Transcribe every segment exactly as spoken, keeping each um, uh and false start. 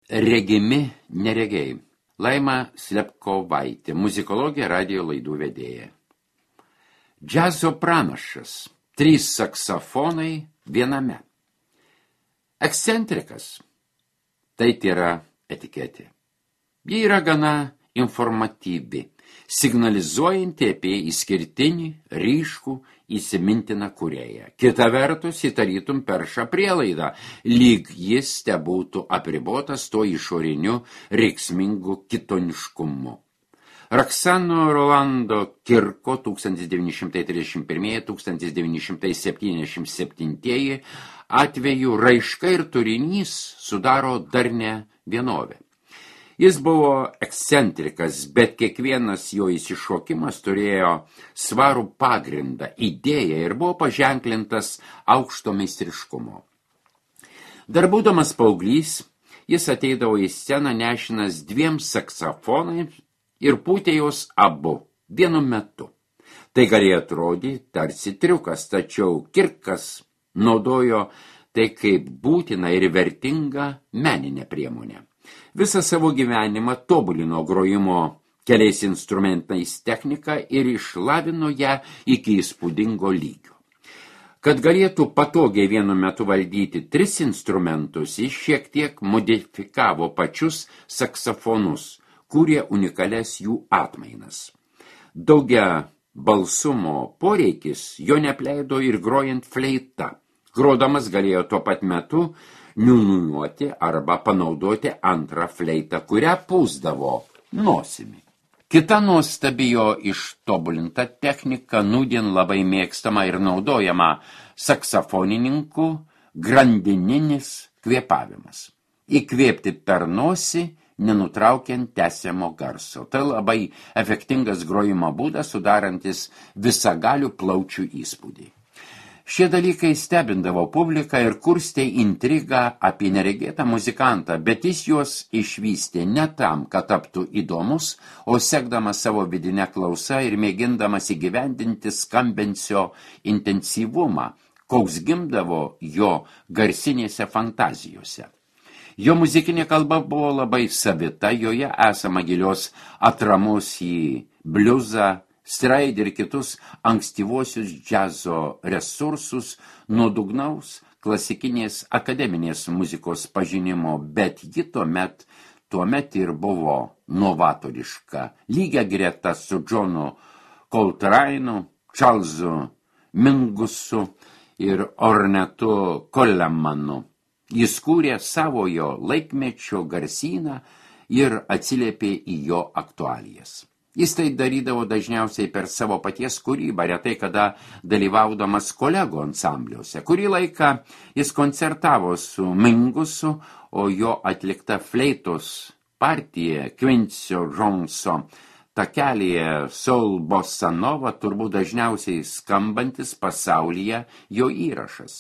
Regimi neregiai. Laima Slepkovaitė, muzikologė, radijo laidų vedėja. Džiazo pranašas. Trys saksofonai viename. Ekscentrikas. Tai yra etiketė. Ji yra gana informatyvi, signalizuojanti apie išskirtinį, ryškų, įsimintiną kūrėją. Kita vertus, įtarytum perša prielaidą, lyg jis te būtų apribotas to išoriniu reiksmingu kitoniškumu. Roksano Rolando Kirko tūkstantis devyni šimtai trisdešimt pirmieji - tūkstantis devyni šimtai septyniasdešimt septintieji atveju raiška ir turinys sudaro darnią vienovę. Jis buvo ekscentrikas, bet kiekvienas jo įsišokimas turėjo svarų pagrindą, idėją ir buvo paženklintas aukšto meistriškumo. Dar būdamas paauglys, jis ateidavo į sceną nešinas dviem saksofonais ir pūtė jos abu vienu metu. Tai galėjo atrodyti tarsi triukas, tačiau Kirkas naudojo tai kaip būtina ir vertinga meninė priemonė. Visą savo gyvenimą tobulino grojimo keliais instrumentais techniką ir išlavino ją iki įspūdingo lygio. Kad galėtų patogiai vienu metu valdyti tris instrumentus, jis šiek tiek modifikavo pačius saksofonus, kūrė unikalias jų atmainas. Daugia balsumo poreikis jo nepleido ir grojant fleita. Grodamas galėjo tuo pat metu niūniuoti arba panaudoti antrą fleitą, kurią pūsdavo nosimi. Kita nuostabi jo ištobulinta technika nūdien labai mėgstama ir naudojama saksofonininkų grandininis kvėpavimas. Įkvėpti per nosį, nenutraukiant tęsiamo garso. Tai labai efektingas grojimo būdas, sudarantis visagalių plaučių įspūdį. Šie dalykai stebindavo publiką ir kurstė intrigą apie neregėtą muzikantą, bet jis juos išvystė ne tam, kad taptų įdomus, o sekdamas savo vidinę klausą ir mėgindamas įgyvendinti skambensio intensyvumą, koks gimdavo jo garsinėse fantazijose. Jo muzikinė kalba buvo labai savita, joje esama gilios atramos į bliuzą, straid ir kitus ankstyvosius džiazo resursus, nuodugnaus klasikinės akademinės muzikos pažinimo, bet ji tuomet, tuomet ir buvo novatoriška, lygia greta su Johnu Coltrane'u, Charlesu Mingussu ir Ornetu Collemanu. Jis kūrė savojo laikmečio garsyną ir atsiliepė į jo aktualijas. Jis tai darydavo dažniausiai per savo paties kūrybą, retai kada dalyvaudamas kolegų ansambliuose. Kurį laiką jis koncertavo su Mingusu, o jo atlikta fleitos partija Quincy Joneso takelyje Soul Bossa Nova turbūt dažniausiai skambantis pasaulyje jo įrašas.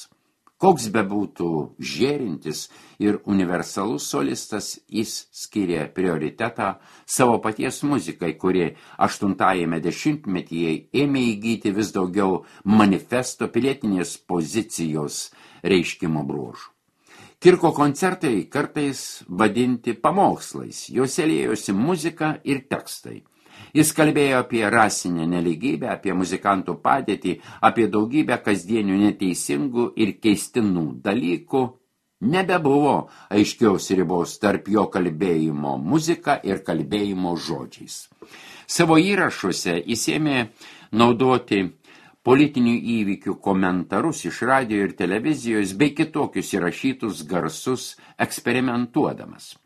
Koks bebūtų žėrintis ir universalus solistas, jis skyrė prioritetą savo paties muzikai, kuri aštuntajame dešimtmetyje ėmė įgyti vis daugiau manifesto pilietinės pozicijos reiškimo bruožų. Kirko koncertai kartais vadinti pamokslais, juose liejosi muzika ir tekstai. Jis kalbėjo apie rasinę nelygybę, apie muzikantų padėtį, apie daugybę kasdienių neteisingų ir keistinų dalykų. Nebebuvo aiškiaus ribos tarp jo kalbėjimo muzika ir kalbėjimo žodžiais. Savo įrašuose jis ėmė naudoti politinių įvykių komentarus iš radijo ir televizijos bei kitokius įrašytus garsus eksperimentuodamas.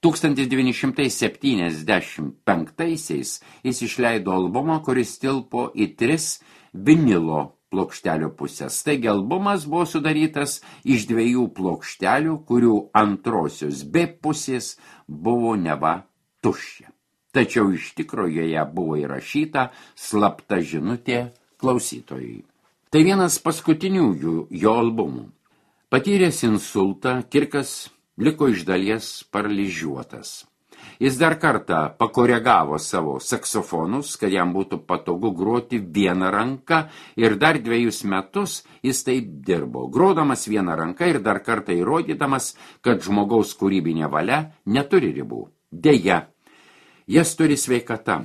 tūkstantis devyni šimtai septyniasdešimt penktaisiais jis išleido albumą, kuris tilpo į tris vinilo plokštelių pusės. Taigi albumas buvo sudarytas iš dviejų plokštelių, kurių antrosios B pusės buvo neva tuščia. Tačiau iš tikro joje buvo įrašyta slapta žinutė klausytojui. Tai vienas paskutiniųjų jo albumų. Patyręs insultą, Kirkas liko iš dalies paralyžiuotas. Jis dar kartą pakoregavo savo saksofonus, kad jam būtų patogu groti vieną ranką ir dar dviejus metus jis taip dirbo, grodamas vieną ranką ir dar kartą įrodydamas, kad žmogaus kūrybinė valia neturi ribų. Deja, jas turi sveikata.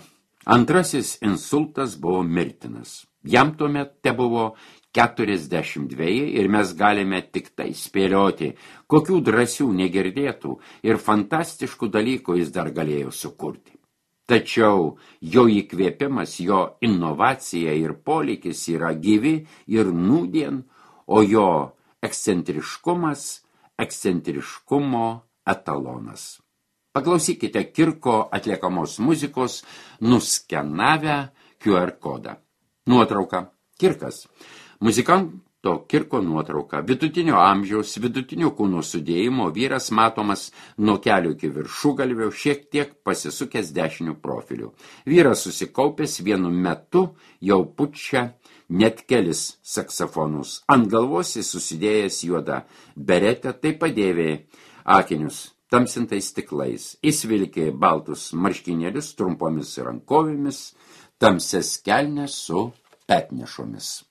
Antrasis insultas buvo mirtinas. Jam tuomet tebuvo keturiasdešimt dveji ir mes galime tik tai spėlioti, kokių drąsių, negirdėtų ir fantastiškų dalykų jis dar galėjo sukurti. Tačiau jo įkvėpimas, jo inovacija ir polikis yra gyvi ir nūdien, o jo ekscentriškumas, ekscentriškumo etalonas. Paklausykite Kirko atliekamos muzikos nuskenavę Q R kodą. Nuotrauka. Kirkas. Muzikanto Kirko nuotrauka. Vidutinio amžiaus, vidutinio kūno sudėjimo vyras matomas nuo kelių iki viršugalvio, šiek tiek pasisukęs dešiniu profiliu. Vyras susikaupęs vienu metu jau pučia net kelis saksofonus. Ant galvos jis susidėjęs juodą beretę, tai padėvė akinius tamsintais stiklais. Jis vilkė baltus marškinėlius trumpomis rankovėmis, tamsias kelnes su petnešomis.